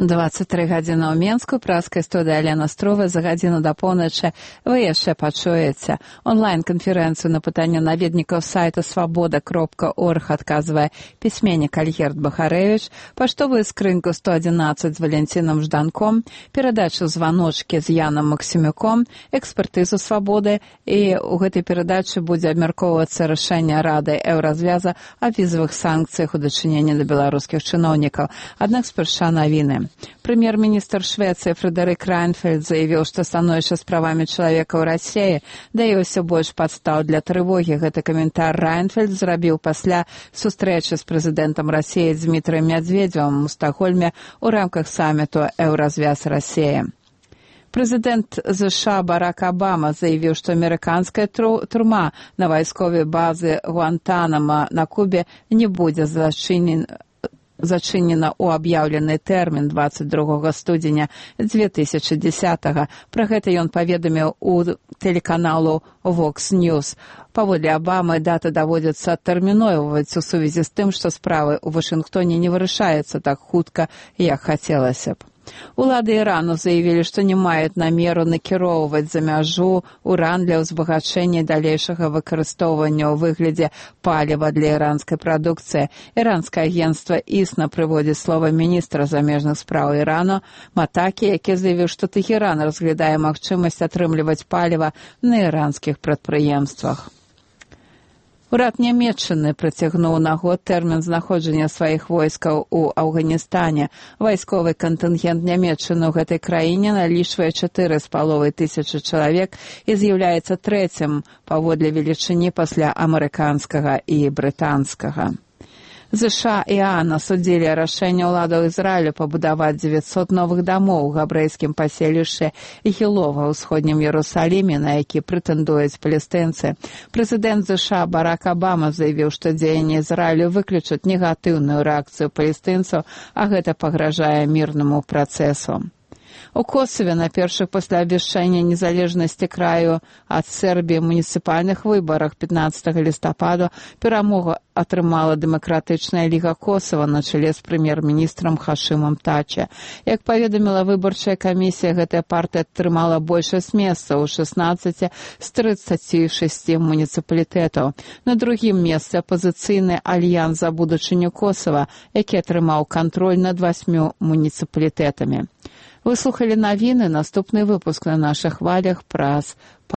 «23 гадзіны ў Менску», праская студыя Алена Строва. За гадзіну да поўначы вы яшчэ пачуеце. Онлайн-канферэнцыю на пытанне наведнікаў сайта свабода.орг адказвае пісьменнік Альгерд Бахарэвіч, паштовую скрынку 111 з Валянцінам Жданком, перадачу «Званочкі» з Янам Максімюком, экспертызу «Свабоды», і ў гэтай перадачы будзе абмяркоўвацца рашэнне Рады Еўразвяза о візавых санкцыях у дачыненні да беларускіх чыноўнікаў. Аднак спярша навіны. Прэм'ер-міністр Швецыі Фрэдэрык Райнфельд заявіў, што становішча з правамі чалавека ў Расіі дае ўсё больш падстаў для трывогі. Гэты каментар Райнфельд зрабіў пасля сустрэчы з прэзідэнтам Расіі Дмітрыем Мядзведзевым у Стакгольме ў рамках саміту «Еўразвяз Расія». Прэзідэнт США Барак Абама заявіў, што амерыканская турма на вайсковай базе Гуантанамо на Кубе не будзе зачынена ў аб'яўлены тэрмін 22 студзеня 2010-го. Пра гэта ён паведаміў у тэлеканалу Vox News. Паводле Абамы, дата даводзіцца адтэрміноўваць у сувязі з тым, што справы ў Вашынгтоне не вырашаюцца так хутка, як хацелася б. Улады Ірану заявілі, што не маюць намеру накіроўваць за мяжу уран для ўзбагачэння і далейшага выкарыстоўвання ў выглядзе паліва для іранскай прадукцыі. Іранскае агенцтва ІСНА прыводзіць слова міністра замежных спраў Ірану Матакі, які заявіў, што Тэхеран разглядае магчымасць атрымліваць паліва на іранскіх прадпрыемствах. Урад Нямецчыны працягнуў на год тэрмін знаходжання сваіх войскаў у Афганістане. Вайсковы кантынгент Нямецчыны ў гэтай краіне налічвае 4,5 чалавек і з'яўляецца трэцім паводле велічыні пасля амерыканскага і брытанскага. ЗША і ААН асудзілі рашэнне ўладаў Ізраілю пабудаваць 900 новых дамоў у габрэйскім паселішчы Гілова ў ўсходнім Іерусаліме, на які прэтэндуюць палестынцы. Прэзідэнт ЗША Барак Абама заявіў, што дзеянні Ізраілю выключаць негатыўную рэакцыю палестынцаў, а гэта пагражае мірнаму працэсу. У Косаве на першых пасля абвяшчэння незалежнасці краю ад Сербіі муніцыпальных выбарах 15 лістападу перамогу атрымала Дэмакратычная ліга Косава на чале з прэм'ер-міністрам Хашымам Тача. Як паведаміла выбарчая камісія, гэтая партыя атрымала большасць месцаў у 16 з 36 муніцыпалітэтаў. На другім месцы апазіцыйны Альянс за будучыню Косава, які атрымаў кантроль над 8 муніцыпалітэтамі. Вы слухали навіны, наступны выпуск на наших хвалях праз